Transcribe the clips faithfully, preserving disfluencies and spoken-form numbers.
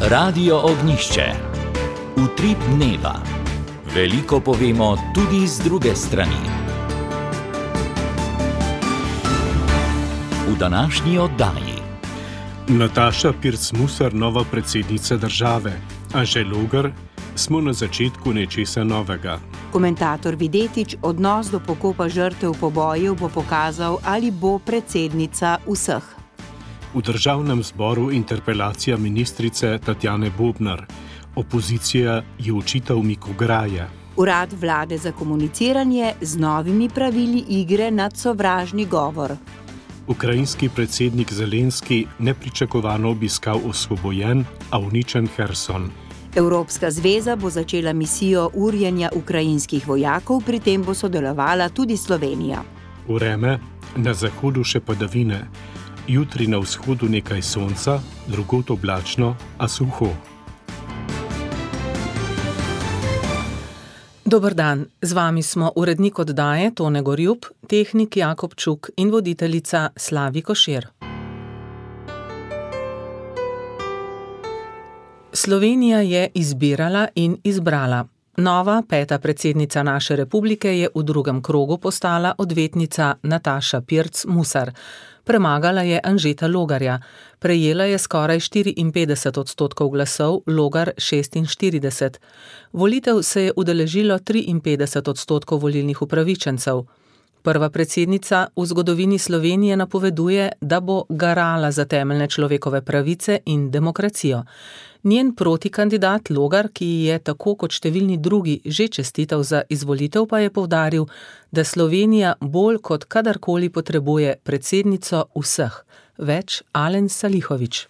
Radio Ognjišče. Utrip dneva. Veliko povemo tudi z druge strani. V današnji oddaji. Nataša Pirc-Musar, nova predsednica države. Anže Logar, smo na začetku nečesa novega. Komentator Videtič, odnos do pokopa žrtev pobojev bo pokazal, ali bo predsednica vseh. V državnem zboru interpelacija ministrice Tatjane Bobnar. Opozicija je očita umik ograje. Urad vlade za komuniciranje z novimi pravili igre nad sovražni govor. Ukrajinski predsednik Zelenski nepričakovano obiskal osvobojen, a uničen Herson. Evropska zveza bo začela misijo urjenja ukrajinskih vojakov, pri tem bo sodelovala tudi Slovenija. Vreme, na zahodu še padavine. Jutri na vzhodu nekaj sonca, drugod oblačno, a suho. Dober dan, z vami smo urednik oddaje Tone Gorjup, tehnik Jakob Čuk in voditeljica Slavi Košir. Slovenija je izbirala in izbrala. Nova peta predsednica naše republike je v drugem krogu postala odvetnica Nataša Pirc-Musar. Premagala je Anžeta Logarja. Prejela je skoraj štiriinpetdeset odstotkov glasov, Logar šestinštirideset. Volitev se je udeležilo triinpetdeset odstotkov volilnih upravičencev. Prva predsednica v zgodovini Slovenije napoveduje, da bo garala za temeljne človekove pravice in demokracijo. Njen protikandidat Logar, ki je tako kot številni drugi že čestital za izvolitev, pa je poudaril, da Slovenija bolj kot kadarkoli potrebuje predsednico vseh. Več Alen Salihović.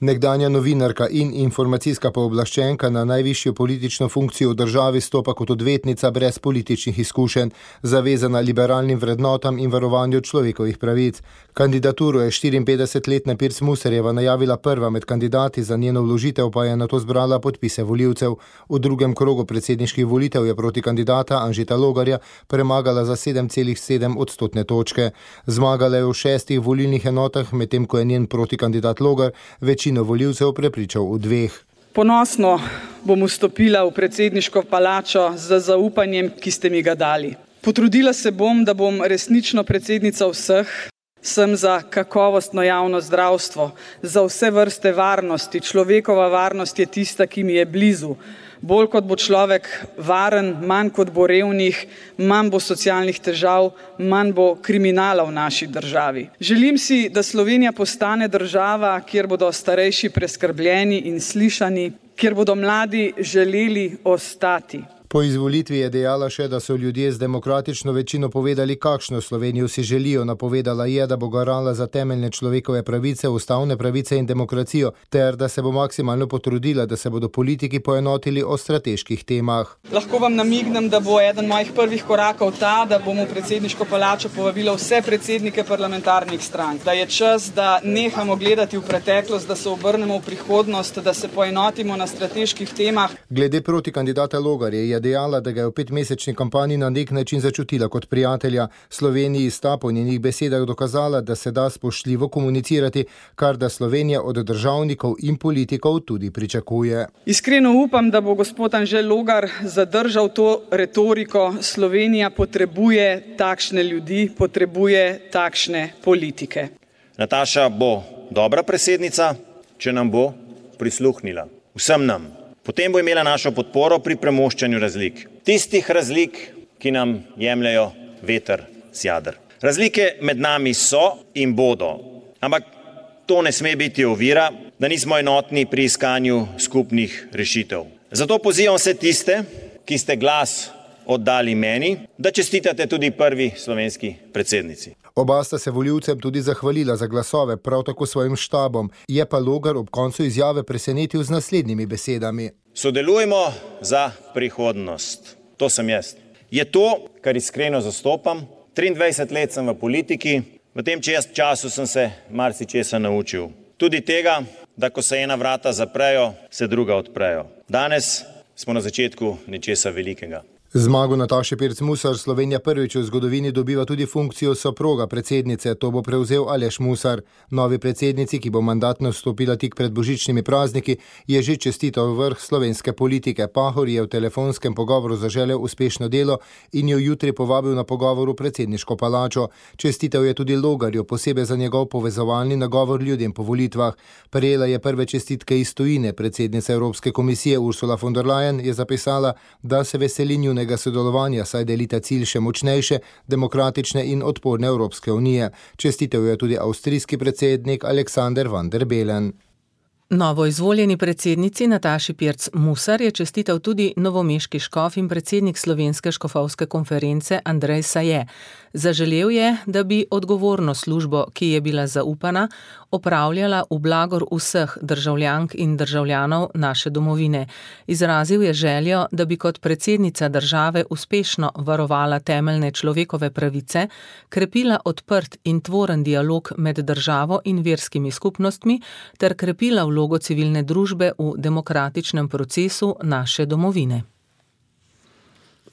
Nekdanja novinarka in informacijska pooblaščenka na najvišjo politično funkcijo v državi stopa kot odvetnica brez političnih izkušenj, zavezana liberalnim vrednotam in varovanju človekovih pravic. Kandidaturo je štiriinpetdesetletna Pirc-Musarjeva najavila prva med kandidati, za njeno vložitev pa je nato zbrala podpise volivcev. V drugem krogu predsedniških volitev je proti kandidata Anžeta Logarja premagala za sedem celih sedem odstotne točke. Zmagala je v šestih volilnih enotah, medtem ko je njen protikandidat Logar večino volivcev prepričal v dveh. Ponosno bom vstopila v predsedniško palačo z zaupanjem, ki ste mi ga dali. Potrudila se bom, da bom resnično predsednica vseh. Sem za kakovostno javno zdravstvo, za vse vrste varnosti. Človekova varnost je tista, ki mi je blizu. Bolj kot bo človek varen, manj kot bo revnih, manj bo socialnih težav, manj bo kriminala v naši državi. Želim si, da Slovenija postane država, kjer bodo starejši preskrbljeni in slišani, kjer bodo mladi želeli ostati. Po izvolitvi je dejala še, da so ljudje z demokratično večino povedali, kakšno Slovenijo si želijo. Napovedala je, da bo garala za temeljne človekove pravice, ustavne pravice in demokracijo, ter da se bo maksimalno potrudila, da se bodo politiki poenotili o strateških temah. Lahko vam namignem, da bo eden mojih prvih korakov ta, da bom v predsedniško palačo povabila vse predsednike parlamentarnih strank. Da je čas, da nehamo gledati v preteklost, da se obrnemo v prihodnost, da se poenotimo na strateških temah. Glede protikandidata Logarja je dejala, da ga je v petmesečni kampanji na nek način začutila kot prijatelja. Sloveniji sta po njenih besedah dokazala, da se da spoštljivo komunicirati, kar da Slovenija od državnikov in politikov tudi pričakuje. Iskreno upam, da bo gospod Anže Logar zadržal to retoriko. Slovenija potrebuje takšne ljudi, potrebuje takšne politike. Nataša bo dobra predsednica, če nam bo prisluhnila. Vsem nam. Potem bo imela našo podporo pri premoščanju razlik. Tistih razlik, ki nam jemljajo veter z jader. Razlike med nami so in bodo, ampak to ne sme biti ovira, da nismo enotni pri iskanju skupnih rešitev. Zato pozivam vse tiste, ki ste glas oddali meni, da čestitate tudi prvi slovenski predsednici. Oba sta se volivcem tudi zahvalila za glasove, prav tako svojim štabom. Je pa Logar ob koncu izjave presenetil z naslednjimi besedami. Sodelujemo za prihodnost. To sem jaz. Je to, kar iskreno zastopam. triindvajset let sem v politiki. V tem času sem se marsičesa naučil. Tudi tega, da ko se ena vrata zaprejo, se druga odprejo. Danes smo na začetku nečesa velikega. Zmago Nataše Pirc Musar Slovenija prvič v zgodovini dobiva tudi funkcijo soproga predsednice, to bo prevzel Aleš Musar. Novi predsednici, ki bo mandatno vstopila tik pred božičnimi prazniki, je že čestital vrh slovenske politike. Pahor je v telefonskem pogovoru zaželel uspešno delo in jo jutri povabil na pogovor v predsedniško palačo. Čestitev je tudi Logarju, posebej za njegov povezovalni nagovor ljudem po volitvah. Prejela je prve čestitke iz tujine. Predsednica Evropske komisije Ursula von der Leyen je zapisala, da se veseli njune sodelovanja, saj delita cilj še močnejše, demokratične in odporne Evropske unije. Čestitev je tudi avstrijski predsednik Alexander van der Bellen. Novo izvoljeni predsednici Nataši Pirc Musar je čestital tudi novomeški škof in predsednik Slovenske škofovske konference Andrej Saje. Zaželel je, da bi odgovorno službo, ki je bila zaupana, opravljala v blagor vseh državljank in državljanov naše domovine. Izrazil je željo, da bi kot predsednica države uspešno varovala temeljne človekove pravice, krepila odprt in tvoren dialog med državo in verskimi skupnostmi ter krepila vlogo civilne družbe v demokratičnem procesu naše domovine.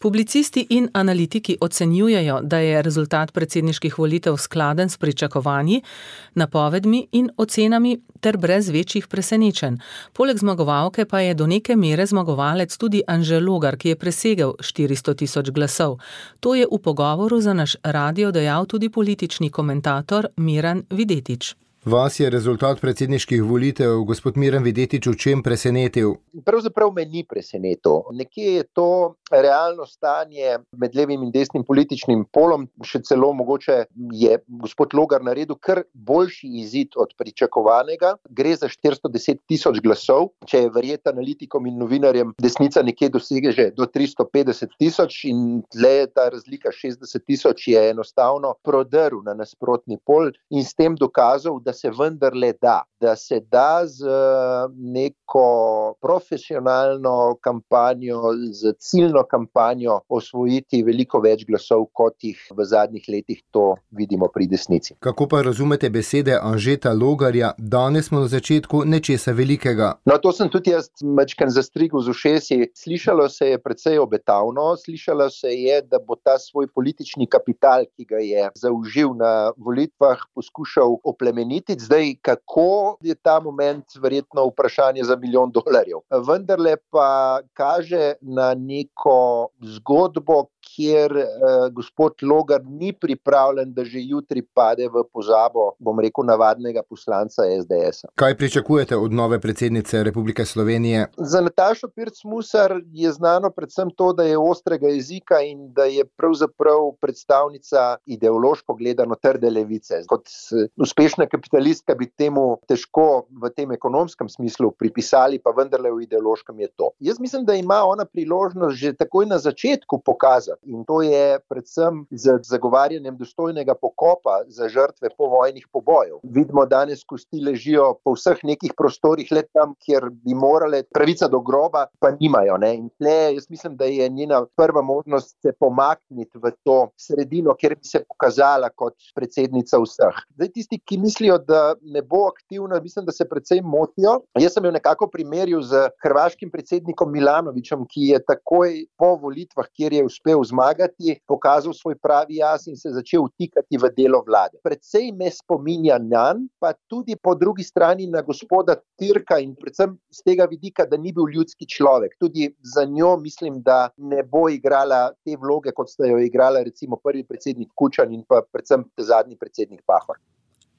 Publicisti in analitiki ocenjujejo, da je rezultat predsedniških volitev skladen s pričakovanji, napovedmi in ocenami ter brez večjih presenečenj. Poleg zmagovalke pa je do neke mere zmagovalec tudi Anže Logar, ki je presegel štiristo tisoč glasov. To je v pogovoru za naš radio dejal tudi politični komentator Miran Videtič. Vas je rezultat predsedniških volitev, gospod Miran Videtič, v čem presenetil? Pravzaprav me ni presenetil. Nekje je to realno stanje med levim in desnim političnim polom, še celo mogoče je gospod Logar naredil kar boljši izid od pričakovanega. Gre za štiristo deset tisoč glasov, če je verjeti analitikom in novinarjem, desnica nekje doseže že do tristo petdeset tisoč in tle je ta razlika šestdeset tisoč je enostavno prodrl na nasprotni pol in s tem dokazal, da se vendarle da, da se da z neko profesionalno kampanjo, z ciljno kampanjo osvojiti veliko več glasov, kot jih v zadnjih letih to vidimo pri desnici. Kako pa razumete besede Anžeta Logarja, danes smo na začetku nečesa velikega? No, to sem tudi jaz majčkeno zastrigel z ušesi. Slišalo se je precej obetavno, slišalo se je, da bo ta svoj politični kapital, ki ga je zaužil na volitvah, poskušal oplemeniti. Zdaj, kako je ta moment verjetno vprašanje za milijon dolarjev. Vendarle pa kaže na neko zgodbo, kjer eh, gospod Logar ni pripravljen, da že jutri pade v pozabo, bom rekel, navadnega poslanca es de esa. Kaj pričakujete od nove predsednice Republike Slovenije? Za Natašo Pirc Musar je znano predvsem to, da je ostrega jezika in da je pravzaprav predstavnica ideološko gledano trde levice. Kot uspešna kapitalistka bi temu težko v tem ekonomskem smislu pripisali, pa vendarle v ideološkem je to. Jaz mislim, da ima ona priložnost že takoj na začetku pokazati, in to je predvsem z zagovarjanjem dostojnega pokopa za žrtve povojnih pobojev. Vidimo danes kosti ležijo po vseh nekih prostorih, le tam, kjer bi morale, pravica do groba pa nimajo. Ne? In tle, jaz mislim, da je njena prva možnost se pomakniti v to sredino, kjer bi se pokazala kot predsednica vseh. Zdaj tisti, ki mislijo, da ne bo aktivna, mislim, da se precej motijo. Jaz sem jo nekako primerjal z hrvaškim predsednikom Milanovićem, ki je takoj po volitvah, kjer je uspel zmagati, pokazal svoj pravi jaz in se začel vtikati v delo vlade. Predvsej me spominja nanj, pa tudi po drugi strani na gospoda Türka in predvsem z tega vidika, da ni bil ljudski človek. Tudi za njo mislim, da ne bo igrala te vloge, kot sta jo igrala recimo prvi predsednik Kučan in pa predvsem zadnji predsednik Pahor.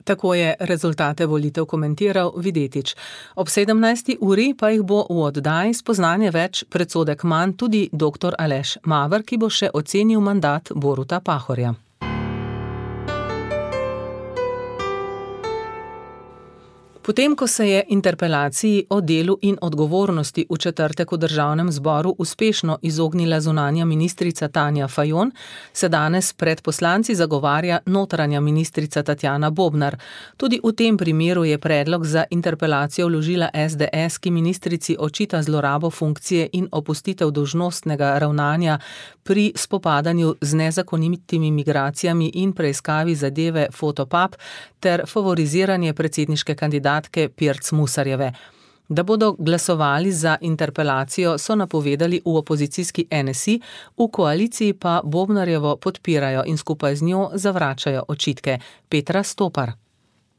Tako je rezultate volitev komentiral Videtič. Ob sedemnajsti uri pa jih bo v oddaji Spoznanje več, predsodek manj tudi doktor Aleš Maver, ki bo še ocenil mandat Boruta Pahorja. Potem, ko se je interpelaciji o delu in odgovornosti v četrtek v državnem zboru uspešno izognila zunanja ministrica Tanja Fajon, se danes pred poslanci zagovarja notranja ministrica Tatjana Bobnar. Tudi v tem primeru je predlog za interpelacijo vložila es de es, ki ministrici očita zlorabo funkcije in opustitev dolžnostnega ravnanja pri spopadanju z nezakonitimi migracijami in preiskavi zadeve Fotopub ter favoriziranje predsedniške kandidatke Pirc Musarjeve. Da bodo glasovali za interpelacijo, so napovedali v opozicijski N S I, v koaliciji pa Bobnarjevo podpirajo in skupaj z njo zavračajo očitke. Petra Stopar.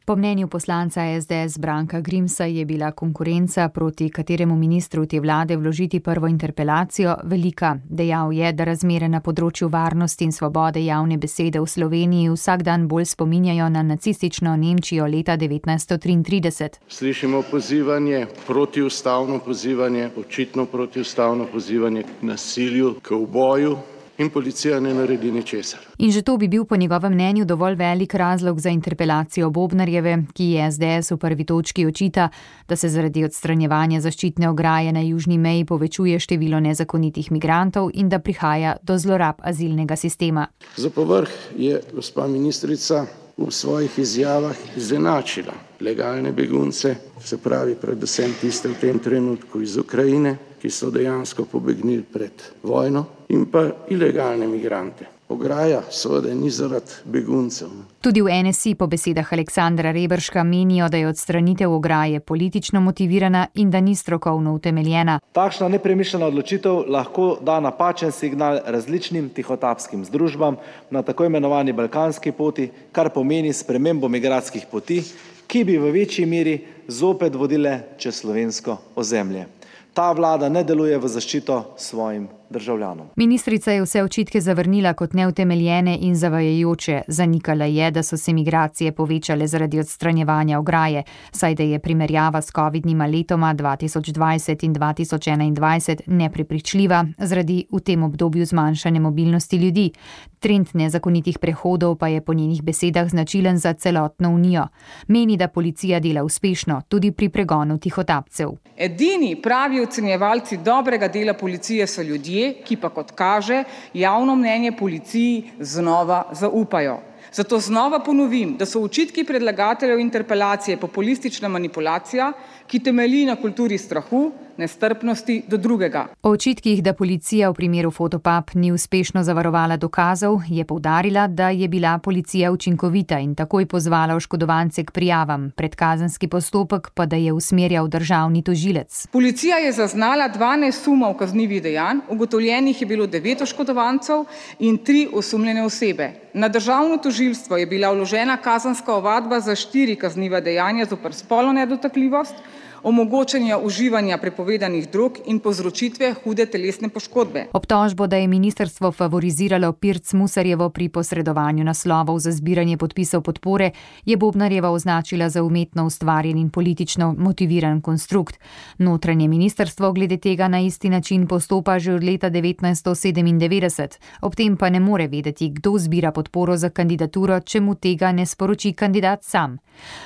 Po mnenju poslanca S D S Branka Grimsa je bila konkurenca, proti kateremu ministru te vlade vložiti prvo interpelacijo, velika. Dejal je, da razmere na področju varnosti in svobode javne besede v Sloveniji vsak dan bolj spominjajo na nacistično Nemčijo leta devetnajststo triintrideset. Slišimo pozivanje, protiustavno pozivanje, očitno protiustavno pozivanje k nasilju, k uboju. In policija ne naredi ničesar. In že to bi bil po njegovem mnenju dovolj velik razlog za interpelacijo Bobnarjeve, ki je S D S v prvi točki očita, da se zaradi odstranjevanja zaščitne ograje na južni meji povečuje število nezakonitih migrantov in da prihaja do zlorab azilnega sistema. Za povrh je gospa ministrica v svojih izjavah izenačila legalne begunce, se pravi predvsem tiste v tem trenutku iz Ukrajine, ki so dejansko pobegnili pred vojno, in pa ilegalne migrante. Ograja seveda ni zaradi beguncev. Tudi v N S I po besedah Aleksandra Reberška menijo, da je odstranitev ograje politično motivirana in da ni strokovno utemeljena. Takšna nepremišljena odločitev lahko da napačen signal različnim tihotapskim združbam na tako imenovani balkanski poti, kar pomeni spremembo migracijskih poti, ki bi v večji meri zopet vodile čez slovensko ozemlje. Ta vlada ne deluje v zaščito svojim državljanom. Ministrica je vse očitke zavrnila kot neutemeljene in zavajajoče. Zanikala je, da so se migracije povečale zaradi odstranjevanja ograje, saj da je primerjava s covidnima letoma dva tisoč dvajset in dva tisoč enaindvajset neprepričljiva zaradi v tem obdobju zmanjšane mobilnosti ljudi. Trend nezakonitih prehodov pa je po njenih besedah značilen za celotno unijo. Meni, da policija dela uspešno tudi pri pregonu tihotapcev. Edini pravi ocenjevalci dobrega dela policije so ljudje, ki pa, kot kaže, javno mnenje policiji znova zaupajo. Zato znova ponovim, da so očitki predlagateljev interpelacije populistična manipulacija, ki temelji na kulturi strahu, nestrpnosti do drugega. O očitkih, da policija v primeru Fotopub ni uspešno zavarovala dokazov, je poudarila, da je bila policija učinkovita in takoj pozvala oškodovance k prijavam, predkazenski postopek pa da je usmerjal državni tožilec. Policija je zaznala dvanajst sumov kaznivih dejanj, ugotovljenih je bilo devet oškodovancev in tri osumljene osebe. Na državno tožilstvo je bila vložena kazenska ovadba za štiri kazniva dejanja zoper spolno nedotakljivost, omogočanja uživanja prepovedanih drog in povzročitve hude telesne poškodbe. Obtožbo, da je ministrstvo favoriziralo Pirc Musarjevo pri posredovanju naslovov za zbiranje podpisov podpore, je Bobnarjeva označila za umetno ustvarjen in politično motiviran konstrukt. Notranje ministrstvo glede tega na isti način postopa že od leta devetnajststo sedemindevetdeset. Ob tem pa ne more vedeti, kdo zbira podporo za kandidaturo, če mu tega ne sporoči kandidat sam.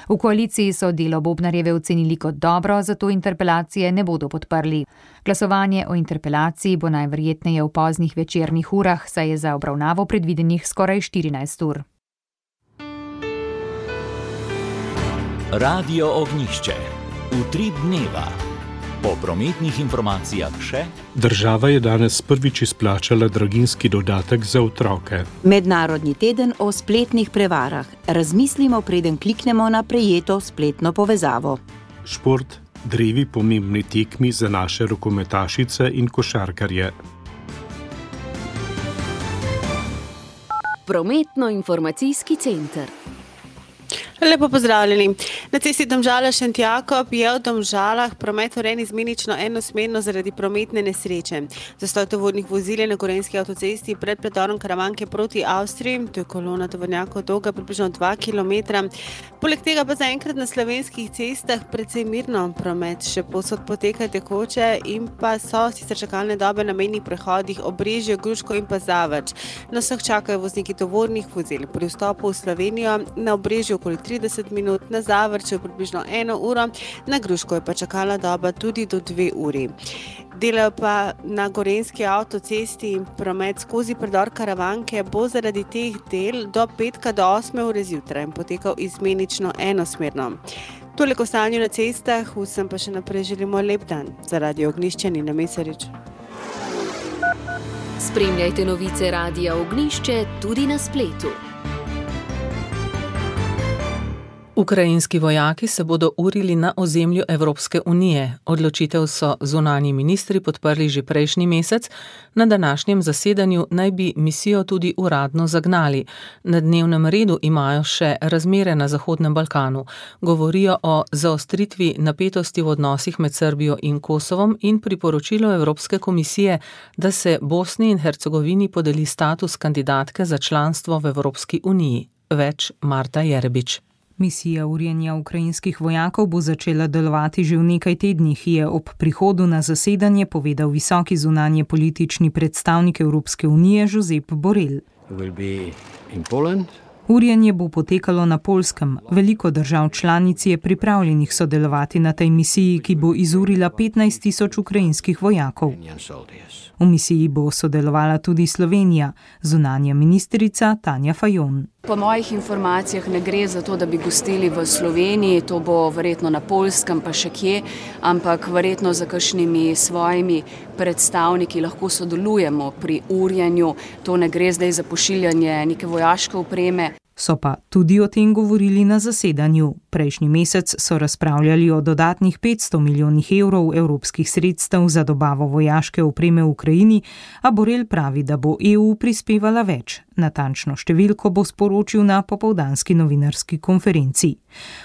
V koaliciji so delo Bobnarjeve ocenili kot dobro, zato interpelacije ne bodo podprli. Glasovanje o interpelaciji bo najverjetneje v poznih večernih urah, saj je za obravnavo predvidenih skoraj štirinajst ur. Radio Ognjišče. Utrip dneva. Po prometnih informacijah še. Država je danes prvič izplačala draginjski dodatek za otroke. Mednarodni teden o spletnih prevarah. Razmislimo, preden kliknemo na prejeto spletno povezavo. Šport, drevi pomembni tekmi za naše rokometašice in košarkarje. Prometno-informacijski center. Lepo pozdravljeni. Na cesti Domžale-Šentjakob je v Domžalah promet urejen izmenično enosmerno zaradi prometne nesreče. Zastoj tovornih vozil je na Gorenjski avtocesti pred predorom Karavanke proti Avstriji, to je kolona tovornjakov dolga približno dva kilometra. Poleg tega pa zaenkrat na slovenskih cestah precej mirno promet, še povsod poteka tekoče in pa so sicer čakalne dobe na mejnih prehodih Obrežje, Gruško in pa Zavrč. Na vseh čakajo vozniki tovornih vozil. Pri vstopu v Slovenijo na Obrežju okoli trideset minut, na Zavrču približno eno uro, na Gruško je pa čakalna doba tudi do dve uri. Delajo pa na Gorenjski avtocesti in promet skozi predor Karavanke bo zaradi teh del do petka do osme ure zjutraj potekal izmenično enosmerno. Toliko o stanju na cestah, vsem pa še naprej želimo lep dan. Za Radio Ognjišče Nina Mesarič. Spremljajte novice Radia Ognjišče tudi na spletu. Ukrajinski vojaki se bodo urili na ozemlju Evropske unije. Odločitev so zunanji ministri podprli že prejšnji mesec. Na današnjem zasedanju naj bi misijo tudi uradno zagnali. Na dnevnem redu imajo še razmere na Zahodnem Balkanu. Govorijo o zaostritvi napetosti v odnosih med Srbijo in Kosovom in priporočilo Evropske komisije, da se Bosni in Hercegovini podeli status kandidatke za članstvo v Evropski uniji. Več Marta Jerebič. Misija urjenja ukrajinskih vojakov bo začela delovati že v nekaj tednih, je ob prihodu na zasedanje povedal visoki zunanje politični predstavnik Evropske unije Josep Borrell. Urjenje bo potekalo na Poljskem. Veliko držav članic je pripravljenih sodelovati na tej misiji, ki bo izurila petnajst tisoč ukrajinskih vojakov. V misiji bo sodelovala tudi Slovenija, zunanja ministrica Tanja Fajon. Po mojih informacijah ne gre za to, da bi gostili v Sloveniji, to bo verjetno na Poljskem pa še kje, ampak verjetno za kakšnimi svojimi predstavniki lahko sodelujemo pri urjenju. To ne gre zdaj za pošiljanje neke vojaške opreme. So pa tudi o tem govorili na zasedanju. Prejšnji mesec so razpravljali o dodatnih petsto milijonih evrov evropskih sredstev za dobavo vojaške opreme v Ukrajini, a Borrell pravi, da bo E U prispevala več. Natančno številko bo sporočil na popoldanski novinarski konferenci.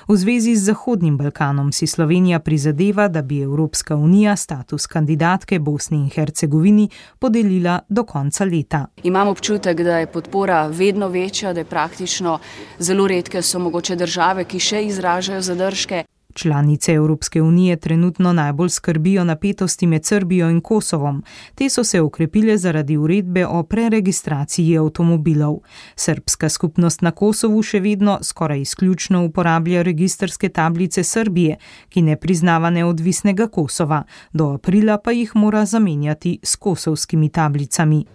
V zvezi z Zahodnim Balkanom si Slovenija prizadeva, da bi Evropska unija status kandidatke Bosni in Hercegovini podelila do konca leta. Imam občutek, da je podpora vedno večja, da je praktično zelo redke so mogoče države, ki še izražajo zadržke. Članice Evropske unije trenutno najbolj skrbijo napetosti med Srbijo in Kosovom. Te so se okrepile zaradi uredbe o preregistraciji avtomobilov. Srbska skupnost na Kosovu še vedno skoraj izključno uporablja registrske tablice Srbije, ki ne priznava neodvisnega Kosova. Do aprila pa jih mora zamenjati s kosovskimi tablicami.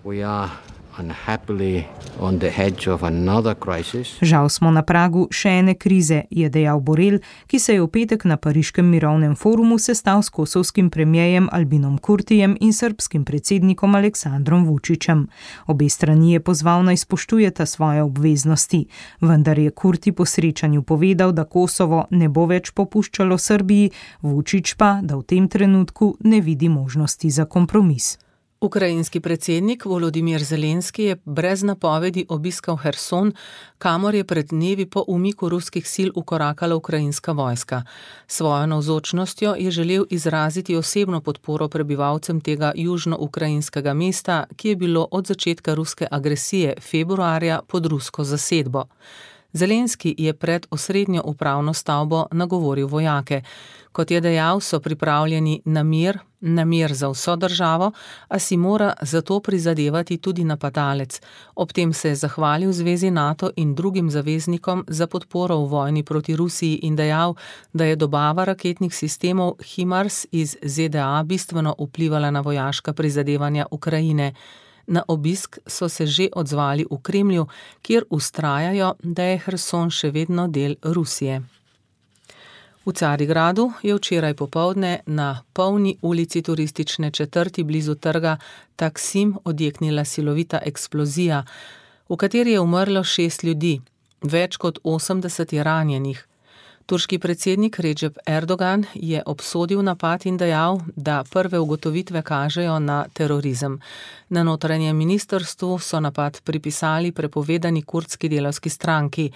Žal smo na pragu še ene krize, je dejal Borrell, ki se je v petek na Pariškem mirovnem forumu sestal s kosovskim premijejem Albinom Kurtijem in srbskim predsednikom Aleksandrom Vučićem. Obe strani je pozval naj spoštujeta svoje obveznosti, vendar je Kurti po srečanju povedal, da Kosovo ne bo več popuščalo Srbiji, Vučić pa, da v tem trenutku ne vidi možnosti za kompromis. Ukrajinski predsednik Volodimir Zelenski je brez napovedi obiskal Herson, kamor je pred dnevi po umiku ruskih sil ukorakala ukrajinska vojska. Svojo navzočnostjo je želel izraziti osebno podporo prebivalcem tega južno-ukrajinskega mesta, ki je bilo od začetka ruske agresije februarja pod rusko zasedbo. Zelenski je pred osrednjo upravno stavbo nagovoril vojake. Kot je dejal, so pripravljeni na mir, na mir za vso državo, a si mora zato prizadevati tudi napadalec. Ob tem se je zahvalil Zvezi NATO in drugim zaveznikom za podporo v vojni proti Rusiji in dejal, da je dobava raketnih sistemov HIMARS iz Z D A bistveno vplivala na vojaška prizadevanja Ukrajine. Na obisk so se že odzvali v Kremlju, kjer vztrajajo, da je Herson še vedno del Rusije. V Carigradu je včeraj popoldne na polni ulici turistične četrti blizu trga Taksim odjeknila silovita eksplozija, v kateri je umrlo šest ljudi, več kot osemdeset je ranjenih. Turški predsednik Recep Erdogan je obsodil napad in dejal, da prve ugotovitve kažejo na terorizem. Na notranjem ministrstvu so napad pripisali prepovedani kurdski delavski stranki.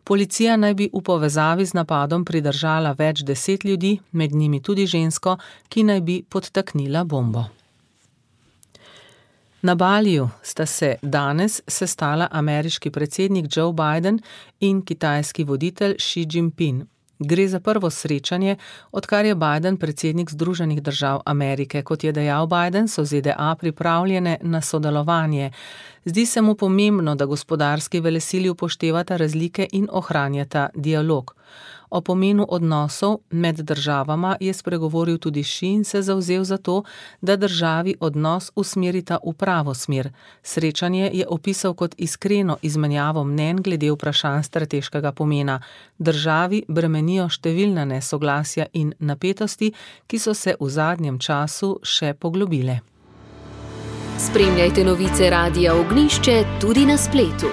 Policija naj bi v povezavi z napadom pridržala več deset ljudi, med njimi tudi žensko, ki naj bi podtaknila bombo. Na Baliju sta se danes sestala ameriški predsednik Joe Biden in kitajski voditelj Xi Jinping. Gre za prvo srečanje, odkar je Biden predsednik Združenih držav Amerike. Kot je dejal Biden, so Z D A pripravljene na sodelovanje. Zdi se mu pomembno, da gospodarski velesili upoštevata razlike in ohranjata dialog. O pomenu odnosov med državama je spregovoril tudi Xi in se zavzel za to, da državi odnos usmerita v pravo smer. Srečanje je opisal kot iskreno izmenjavo mnenj glede vprašanj strateškega pomena. Državi bremenijo številna nesoglasja in napetosti, ki so se v zadnjem času še poglobile. Spremljajte novice Radia Ognjišče tudi na spletu.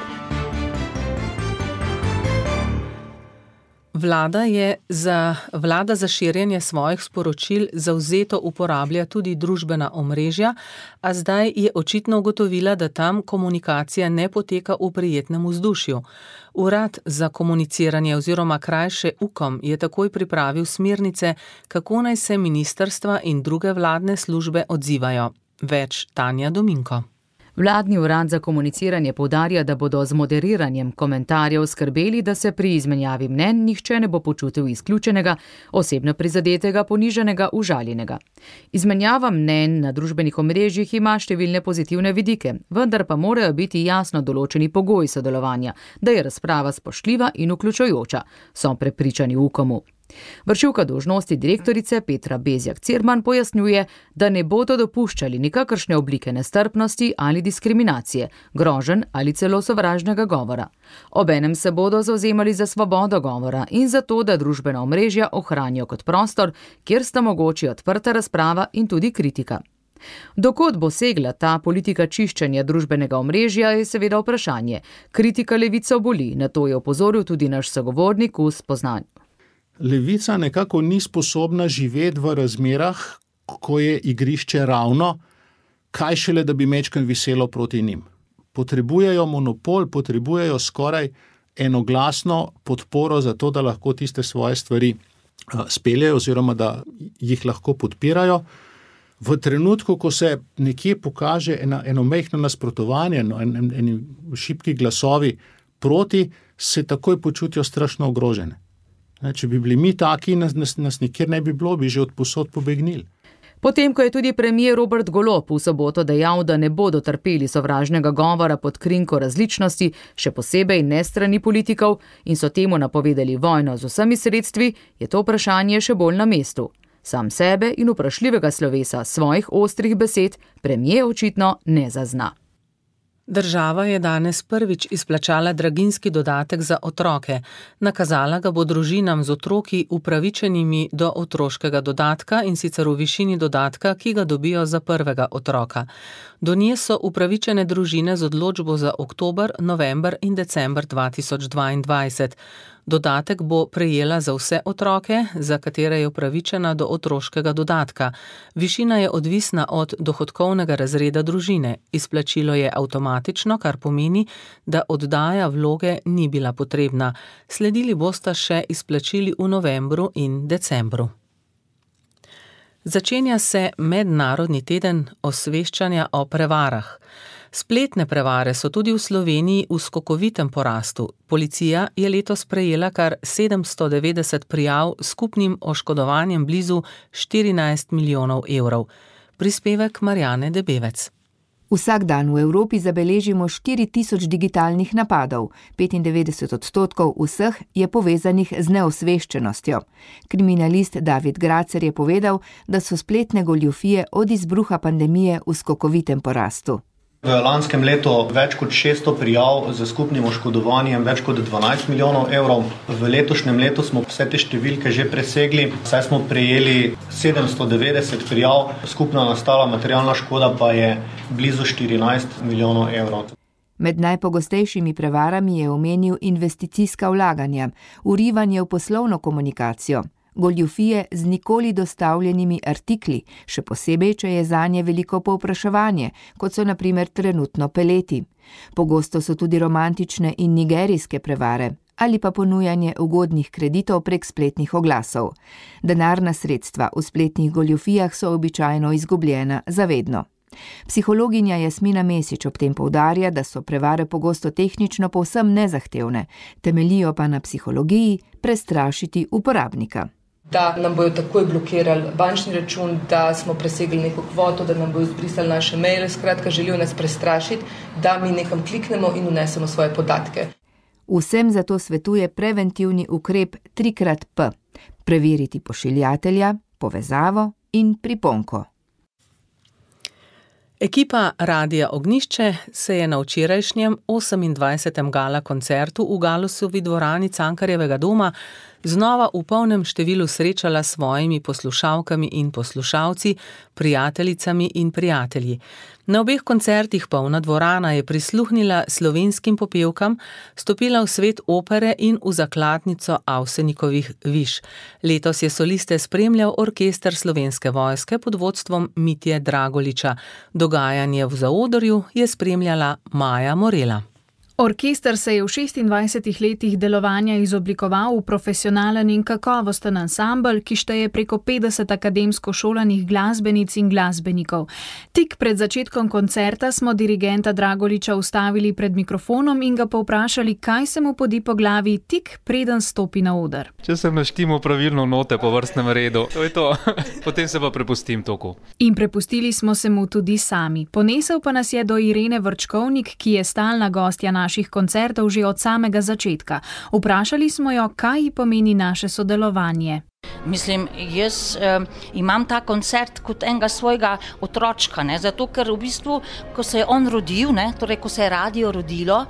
Vlada je za, vlada za širjenje svojih sporočil zavzeto uporablja tudi družbena omrežja, a zdaj je očitno ugotovila, da tam komunikacija ne poteka v prijetnem vzdušju. Urad za komuniciranje oziroma krajše UKOM je takoj pripravil smernice, kako naj se ministrstva in druge vladne službe odzivajo. Več Tanja Dominko. Vladni urad za komuniciranje poudarja, da bodo z moderiranjem komentarjev skrbeli, da se pri izmenjavi mnenj nihče ne bo počutil izključenega, osebno prizadetega, ponižanega, užaljenega. Izmenjava mnenj na družbenih omrežjih ima številne pozitivne vidike, vendar pa morajo biti jasno določeni pogoji sodelovanja, da je razprava spoštljiva in vključujoča, so prepričani v UKOM-u. Vršilka dolžnosti direktorice Petra Bezjak-Cirman pojasnjuje, da ne bodo dopuščali nikakršne oblike nestrpnosti ali diskriminacije, groženj ali celo sovražnega govora. Obenem se bodo zavzemali za svobodo govora in za to, da družbena omrežja ohranijo kot prostor, kjer sta mogoči odprta razprava in tudi kritika. Dokod bo segla ta politika čiščenja družbenega omrežja, je seveda vprašanje. Kritika levico boli, na to je opozoril tudi naš sogovornik v Spoznanju. Levica nekako ni sposobna živeti v razmerah, ko je igrišče ravno, kaj šele, da bi mečken viselo proti njim. Potrebujejo monopol, potrebujejo skoraj enoglasno podporo za to, da lahko tiste svoje stvari speljejo oziroma da jih lahko podpirajo. V trenutku, ko se nekje pokaže ena, eno majhno nasprotovanje, no, en, en, eni šibki glasovi proti, se takoj počutijo strašno ogrožene. Če bi bili mi taki, nas, nas, nas nikjer ne bi bilo, bi že od posod pobegnili. Potem, ko je tudi premier Robert Golob v soboto dejal, da ne bodo trpeli sovražnega govora pod krinko različnosti, še posebej ne strani politikov, in so temu napovedali vojno z vsemi sredstvi, je to vprašanje še bolj na mestu. Sam sebe in vprašljivega slovesa svojih ostrih besed premier očitno ne zazna. Država je danes prvič izplačala draginjski dodatek za otroke. Nakazala ga bo družinam z otroki upravičenimi do otroškega dodatka, in sicer v višini dodatka, ki ga dobijo za prvega otroka. Do nje so upravičene družine z odločbo za oktober, november in december dva tisoč dvaindvajset. Dodatek bo prejela za vse otroke, za katere je upravičena do otroškega dodatka. Višina je odvisna od dohodkovnega razreda družine. Izplačilo je avtomatično, kar pomeni, da oddaja vloge ni bila potrebna. Sledili bosta še izplačili v novembru in decembru. Začenja se Mednarodni teden osveščanja o prevarah. Spletne prevare so tudi v Sloveniji v skokovitem porastu. Policija je letos prejela kar sedemsto devetdeset prijav s skupnim oškodovanjem blizu štirinajst milijonov evrov. Prispevek Marjane Debevec. Vsak dan v Evropi zabeležimo štiri tisoč digitalnih napadov, petindevetdeset odstotkov vseh je povezanih z neosveščenostjo. Kriminalist David Gracer je povedal, da so spletne goljufije od izbruha pandemije v skokovitem porastu. V lanskem letu več kot šeststo prijav z skupnim oškodovanjem več kot dvanajst milijonov evrov. V letošnjem letu smo vse te številke že presegli, saj smo prejeli sedemsto devetdeset prijav, skupna nastala materialna škoda pa je blizu štirinajst milijonov evrov. Med najpogostejšimi prevarami je omenil investicijska vlaganja, vrivanje v poslovno komunikacijo, goljufije z nikoli dostavljenimi artikli, še posebej, če je zanje veliko povpraševanje, kot so na primer trenutno peleti. Pogosto so tudi romantične in nigerijske prevare ali pa ponujanje ugodnih kreditov prek spletnih oglasov. Denarna sredstva v spletnih goljufijah so običajno izgubljena zavedno. Psihologinja Jasmina Mesič ob tem poudarja, da so prevare pogosto tehnično povsem nezahtevne, temeljijo pa na psihologiji prestrašiti uporabnika. Da nam bojo takoj blokirali bančni račun, da smo presegli neko kvoto, da nam bojo izbrisali naše maile, skratka želijo nas prestrašiti, da mi nekam kliknemo in vnesemo svoje podatke. Vsem zato svetuje preventivni ukrep tri krat P. Preveriti pošiljatelja, povezavo in priponko. Ekipa Radia Ognjišče se je na včerajšnjem osemindvajsetem gala koncertu v Galusovi dvorani Cankarjevega doma znova v polnem številu srečala s svojimi poslušalkami in poslušalci, prijateljicami in prijatelji. Na obeh koncertih polna dvorana je prisluhnila slovenskim popevkam, stopila v svet opere in v zakladnico Avsenikovih viž. Letos je soliste spremljal orkester Slovenske vojske pod vodstvom Mitje Dragoliča. Dogajanje v zaodrju je spremljala Maja Morela. Orkester se je v šestindvajsetih letih delovanja izoblikoval v profesionalen in kakovosten ansambel, ki šteje preko petdeset akademsko šolanih glasbenic in glasbenikov. Tik pred začetkom koncerta smo dirigenta Dragoliča ustavili pred mikrofonom in ga povprašali, kaj se mu podi po glavi tik preden stopi na oder. Če sem naštimal pravilno note po vrstnem redu, to je to. Potem se pa prepustim toku. In prepustili smo se mu tudi sami. Ponesel pa nas je do Irene Vrčkovnik, ki je stalna gostja na naših koncertov že od samega začetka. Vprašali smo jo, kaj ji pomeni naše sodelovanje. Mislim, jaz um, imam ta koncert kot enega svojega otročka, ne? Zato ker v bistvu, ko se je on rodil, ne? Torej, ko se je radio rodilo,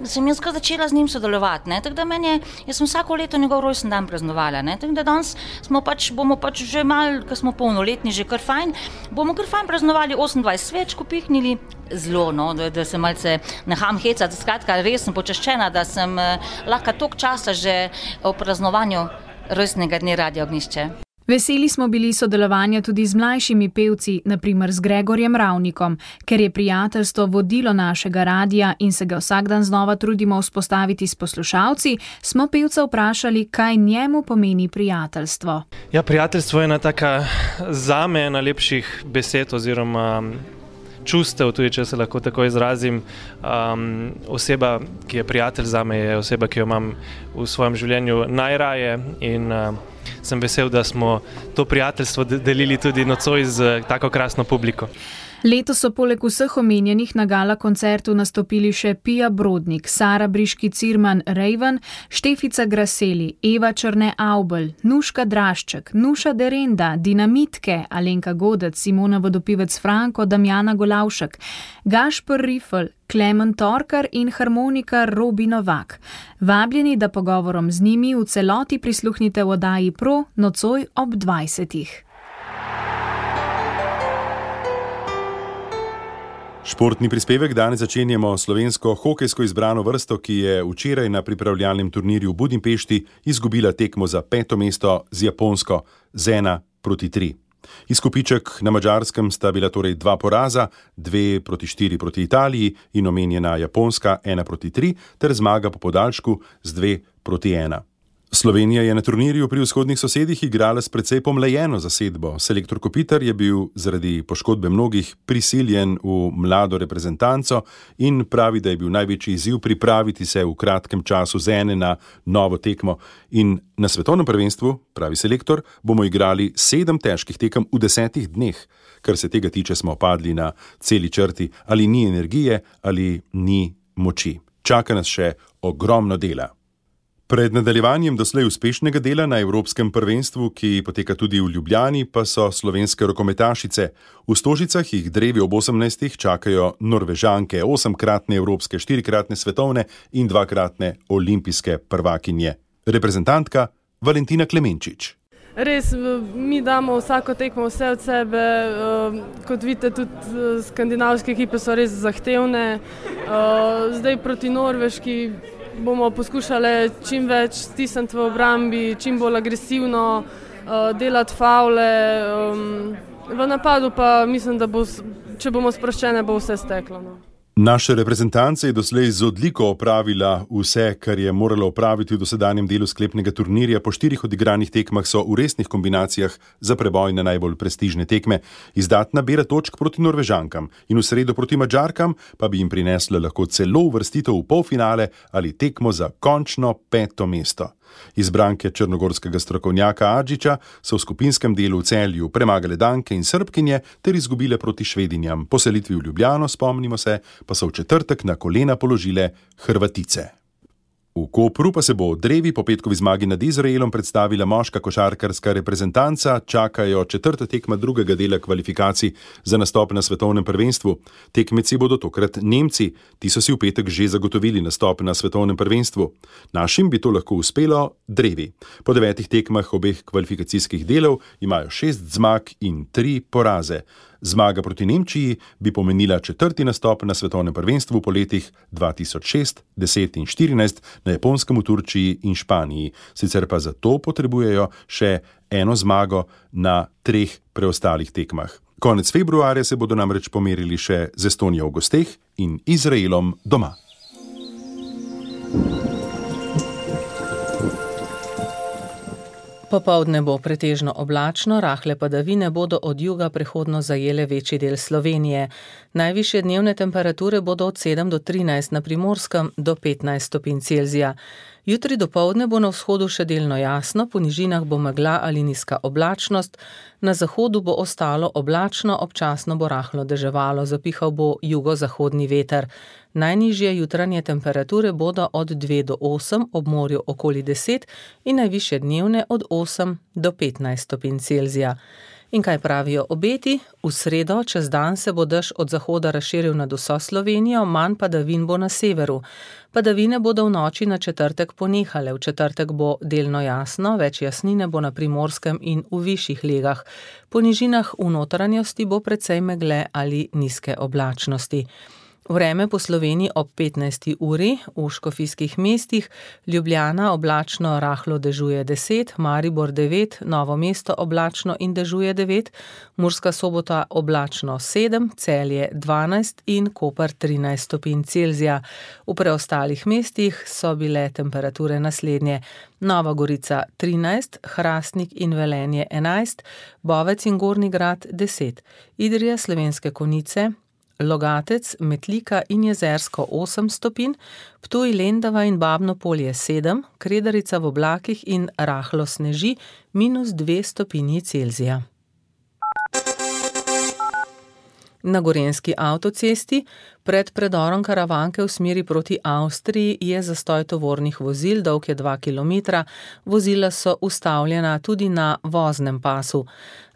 sem jaz ga začela z njim sodelovati, ne? Tako da meni je, jaz sem vsako leto njegov rojsten dan praznovala, ne? Tako da danes smo pač, bomo pač že mal, ko smo polnoletni, že kar fajn, bomo kar fajn praznovali osemindvajset svečk upihnili, zelo, no, da, da se malce neham hecati, skratka, res sem počaščena, da sem eh, lahko toliko časa že o praznovanju rojstnega dne Radia Ognjišče. Veseli smo bili sodelovanja tudi z mlajšimi pevci, na primer z Gregorjem Ravnikom, ker je prijateljstvo vodilo našega radia in se ga vsak dan znova trudimo vzpostaviti s poslušalci, smo pevca vprašali, kaj njemu pomeni prijateljstvo. Ja, prijateljstvo je ena taka zame najlepših besed oziroma čustev, tudi če se lahko tako izrazim. Um, oseba, ki je prijatelj zame, je oseba, ki jo imam v svojem življenju najraje in uh, sem vesel, da smo to prijateljstvo delili tudi nocoj z tako krasno publiko. Letos so poleg vseh omenjenih na gala koncertu nastopili še Pija Brodnik, Sara Briški Cirman Raven, Štefica Graseli, Eva Črne Avbelj, Nuška Drašček, Nuša Derenda, Dinamitke, Alenka Godec, Simona Vodopivec Franko, Damjana Golavšek, Gašper Rifel, Klemen Torkar in harmonikar Robi Novak. Vabljeni, da pogovorom z njimi v celoti prisluhnite v oddaji Pro nocoj ob dvajsetih. Športni prispevek danes začenjamo slovensko hokejsko izbrano vrsto, ki je včeraj na pripravljalnem turnirju v Budimpešti izgubila tekmo za peto mesto z Japonsko z ena proti tri. Izkupiček na Madžarskem sta bila torej dva poraza, dve proti štiri proti Italiji in omenjena Japonska ena proti tri ter zmaga po podaljšku z dve proti ena. Slovenija je na turnirju pri vzhodnih sosedih igrala s precej pomlajeno zasedbo. Selektor Kopitar je bil zaradi poškodbe mnogih prisiljen v mlado reprezentanco in pravi, da je bil največji izziv pripraviti se v kratkem času z ene na novo tekmo. In na svetovnem prvenstvu, pravi selektor, bomo igrali sedem težkih tekem v desetih dneh. Kar se tega tiče, smo padli na celi črti, ali ni energije, ali ni moči. Čaka nas še ogromno dela. Pred nadaljevanjem doslej uspešnega dela na Evropskem prvenstvu, ki poteka tudi v Ljubljani, pa so slovenske rokometašice. V Stožicah jih drevi ob osemnajstih čakajo Norvežanke, osemkratne evropske, štirikratne svetovne in dvakratne olimpijske prvakinje. Reprezentantka Valentina Klemenčič. Res, mi damo vsako tekmo vse od sebe, kot vidite, tudi skandinavske ekipe so res zahtevne. Zdaj proti Norveški bomo poskušali čim več stisniti v obrambi, čim bolj agresivno, delati favle. V napadu pa mislim, da bo, če bomo sproščene, bo vse steklo. No. Naša reprezentanca je doslej z odliko opravila vse, kar je morala opraviti v dosedanjem delu sklepnega turnirja. Po štirih odigranih tekmah so v resnih kombinacijah za preboj na najbolj prestižne tekme. Izdatna bera točk proti Norvežankam in v sredo proti Madžarkam pa bi jim prinesla lahko celo uvrstitev v polfinale ali tekmo za končno peto mesto. Izbranke črnogorskega strokovnjaka Adžiča so v skupinskem delu v Celju premagale Danke in Srbkinje ter izgubile proti Švedinjam. Po selitvi v Ljubljano, spomnimo se, pa so v četrtek na kolena položile Hrvatice. V Kopru pa se bo v Drevi po petkovi zmagi nad Izraelom predstavila moška košarkarska reprezentanca, čakajo četrta tekma drugega dela kvalifikacij za nastop na svetovnem prvenstvu. Tekmeci bodo tokrat Nemci, ti so si v petek že zagotovili nastop na svetovnem prvenstvu. Našim bi to lahko uspelo Drevi. Po devetih tekmah obeh kvalifikacijskih delov imajo šest zmag in tri poraze. Zmaga proti Nemčiji bi pomenila četrti nastop na svetovnem prvenstvu po letih dva tisoč šest, deset in štirinajst na Japonskem, v Turčiji in Španiji. Sicer pa za to potrebujejo še eno zmago na treh preostalih tekmah. Konec februarja se bodo namreč pomerili še z Estonijo v gosteh in Izraelom doma. Popoldne bo pretežno oblačno, rahle padavine bodo od juga prehodno zajele večji del Slovenije. Najvišje dnevne temperature bodo od sedem do trinajst, na Primorskem do petnajst stopinj Celzija. Jutri dopoldne bo na vzhodu še delno jasno, po nižinah bo megla ali nizka oblačnost, na zahodu bo ostalo oblačno, občasno bo rahlo deževalo, zapihal bo jugozahodni veter. Najnižje jutranje temperature bodo od dve do osem, ob morju okoli deset in najvišje dnevne od osem do petnajst stopinj Celzija. In kaj pravijo obeti? V sredo čez dan se bo dež od zahoda razširil nad vso Slovenijo, manj padavin bo na severu. Padavine bodo v noči na četrtek ponehale, v četrtek bo delno jasno, več jasnine bo na Primorskem in v višjih legah. Po nižinah v notranjosti bo precej megle ali nizke oblačnosti. Vreme po Sloveniji ob petnajsti uri, v škofijskih mestih, Ljubljana oblačno rahlo dežuje deset, Maribor devet, Novo mesto oblačno in dežuje devet, Murska Sobota oblačno sedem, Celje dvanajst in Koper trinajst stopinj Celzija. V preostalih mestih so bile temperature naslednje: Nova Gorica trinajst, Hrastnik in Velenje enajst, Bovec in Gornji Grad deset, Idrija, Slovenske Konjice, Logatec, Metlika in Jezersko osem stopinj, Ptuj, Lendava in Babno Polje sedem, Kredarica v oblakih in rahlo sneži minus dve stopinji Celzija. Na gorenjski avtocesti pred predorom Karavanke v smeri proti Avstriji je zastoj tovornih vozil, dolg je dva kilometra, vozila so ustavljena tudi na voznem pasu.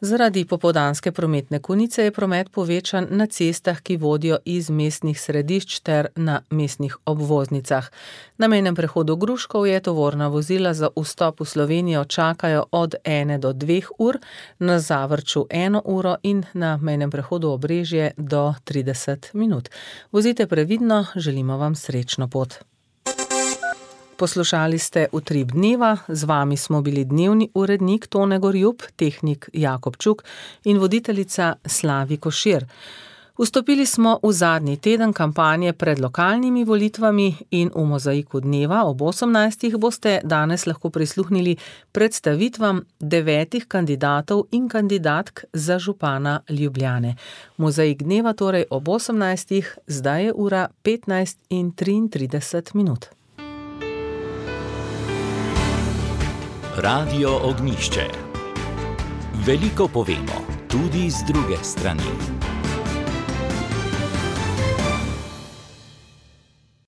Zaradi popoldanske prometne konice je promet povečan na cestah, ki vodijo iz mestnih središč ter na mestnih obvoznicah. Na mejnem prehodu Gruškov je tovorna vozila za vstop v Slovenijo čakajo od ene do dveh ur, na Zavrču eno uro in na mejnem prehodu Obrežje do trideset minut. Vozite previdno, želimo vam srečno pot. Poslušali ste Utrip dneva, z vami smo bili dnevni urednik Tone Gorjup, tehnik Jakob Čuk in voditeljica Slavi Košir. Vstopili smo v zadnji teden kampanje pred lokalnimi volitvami in v Mozaiku dneva ob osemnajstih boste danes lahko prisluhnili predstavitvam devetih kandidatov in kandidatk za župana Ljubljane. Mozaik dneva torej ob osemnajstih, zdaj je ura petnajst in triintrideset minut. Radio Ognjišče. Veliko povemo, tudi z druge strani.